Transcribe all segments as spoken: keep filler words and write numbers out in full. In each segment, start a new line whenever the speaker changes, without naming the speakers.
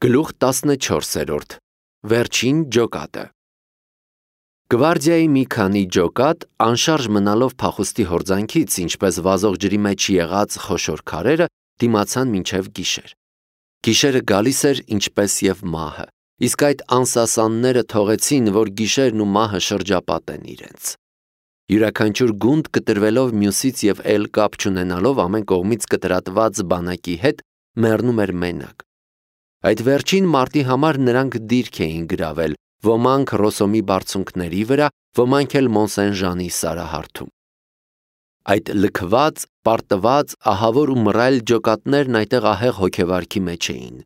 Գլուխ տասնչորսերորդ Վերջին ջոկատը Գվարդիայի մի քանի ջոկատ, անշարժ մնալով փախուստի հորձանքից, ինչպես վազող ջրի մեջ եղած խոշոր քարերը, դիմացան մինչև գիշեր։ Գիշերը գալիս էր ինչպես և մահը, իսկ այդ անսասանները թողեցին, որ գիշերն ու մահը շրջապատեն իրենց։ Յուրաքանչյուր գունդ կտրվելով մյուսից և էլ կապ չունենալով ամեն կողմից կտրատված բանակի հետ, մեռնում էր մենակ։ Այդ վերջին մարտի համար նրանք դիրք էին գրավել, ոմանք Ռոսոմի բարձունքների վրա, ոմանք էլ Մոնսեն-Ժանի սարահարթում։ Այդ լքված, պարտված, ահավոր ու մռայլ ջոկատներն այդեղ ահեղ հոգեվարքի մեջ էին։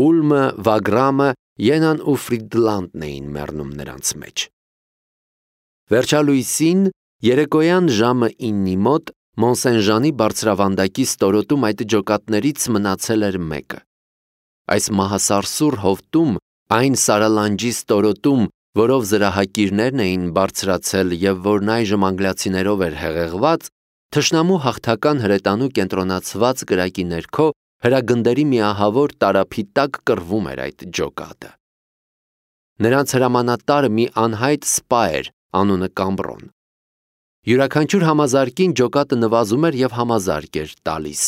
Ուլմը, Վագրամը, Ենան ու Ֆրիդլանդն էին մեռնում նրանց մեջ։ Վերջալույսին, երեկոյան ժամը իննի մոտ, Մոնսեն-Ժանի բարձրավանդակի ստորոտում այդ ջոկատներից մնացել էր մեկը։ Այս մահասարսուռ հովտում, այն սարալանջի ստորոտում, որով զրահակիրներն էին բարձրացել և որն այժմ անգլիացիներով էր հեղեղված, թշնամու հաղթական հրետանու կենտրոնացված կրակի ներքո հրագնդերի մի ահավոր տարափի տակ կռվում էր այդ ջոկատը։ Նրանց հրամանատարը մի անհայտ սպա էր, անունը Կամբրոն։ Յուրաքանչյուր համազարկին ջոկատը նվազում էր և համազարկ էր տալիս։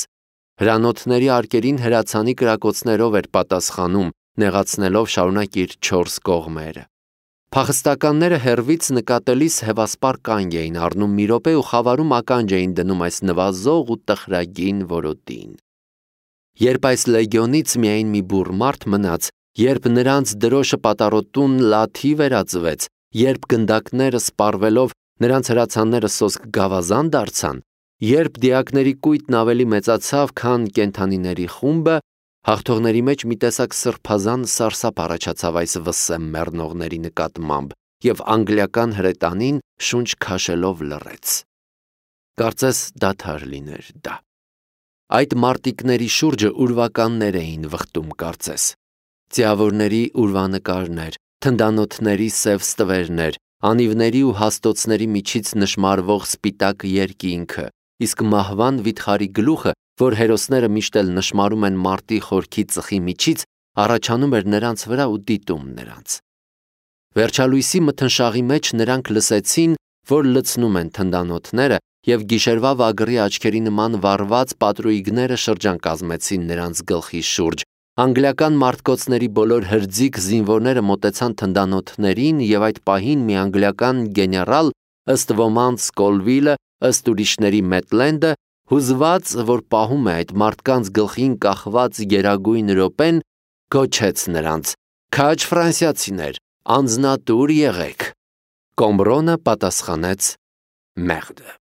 Հրանոթների արկերին հրացանի կրակոցներով էր պատասխանում, նեղացնելով շարունակ իր չորս կողմերը։ Փախստականները հեռվից նկատելիս հևասպար կանգ էին առնում մի րոպե ու խավարում ականջ էին դնում այս նվազող ու տխրագին որոտին։ Երբ այս լեգիոնից միայն մի բուռ մարդ մնաց, երբ նրանց դրոշը պատառոտուն լաթի վերածվեց, երբ գնդակները սպառվելով նրանց հրացանները սոսկ գավազան դարձան, երբ դիակների կույտն ավելի մեծացավ, քան կենդանիների խումբը, հաղթողների մեջ մի տեսակ սրբազան սարսափ առաջացավ այս վսեմ մեռնողների նկատմամբ, և անգլիական հրետանին շունչ քաշելով լռեց։ Կարծես դադար լիներ դա։ Այդ մարտիկների շուրջը ուրվականներ էին վխտում կարծես։ Ձիավորների ուրվանկարներ, թնդանոթների սև ստվերներ, անիվների ու հաստոցների միջից նշմարվող սպիտակ երկինքը, իսկ մահվան վիթխարի գլուխը, որ հերոսները միշտ էլ նշմարում են մարտի խորքի ծխի միջից, առաջանում էր նրանց վրա ու դիտում նրանց։ Վերջալույսի մթնշաղի մեջ նրանք լսեցին, որ լցնում են թնդանոթները, և գիշերվա վագրի աչքերի նման վառված պատրույգները շրջան կազմեցին նրանց գլխի շուրջ։ Անգլիական մարտկոցների բոլոր հրձիկ զինվորները մոտեցան թնդանոթներին, և այդ պահին մի անգլիական գեներալ, ըստ ոմանց Կոլվիլը, ըստ ուրիշների Մեթլենդը, հուզված, որ պահում է այդ մարդկանց գլխին կախված գերագույն րոպեն, գոչեց նրանց. «Քաջ ֆրանսիացիներ, անձնատուր եղեք»։ Կամբրոնը պատասխանեց. «Մեղդը»։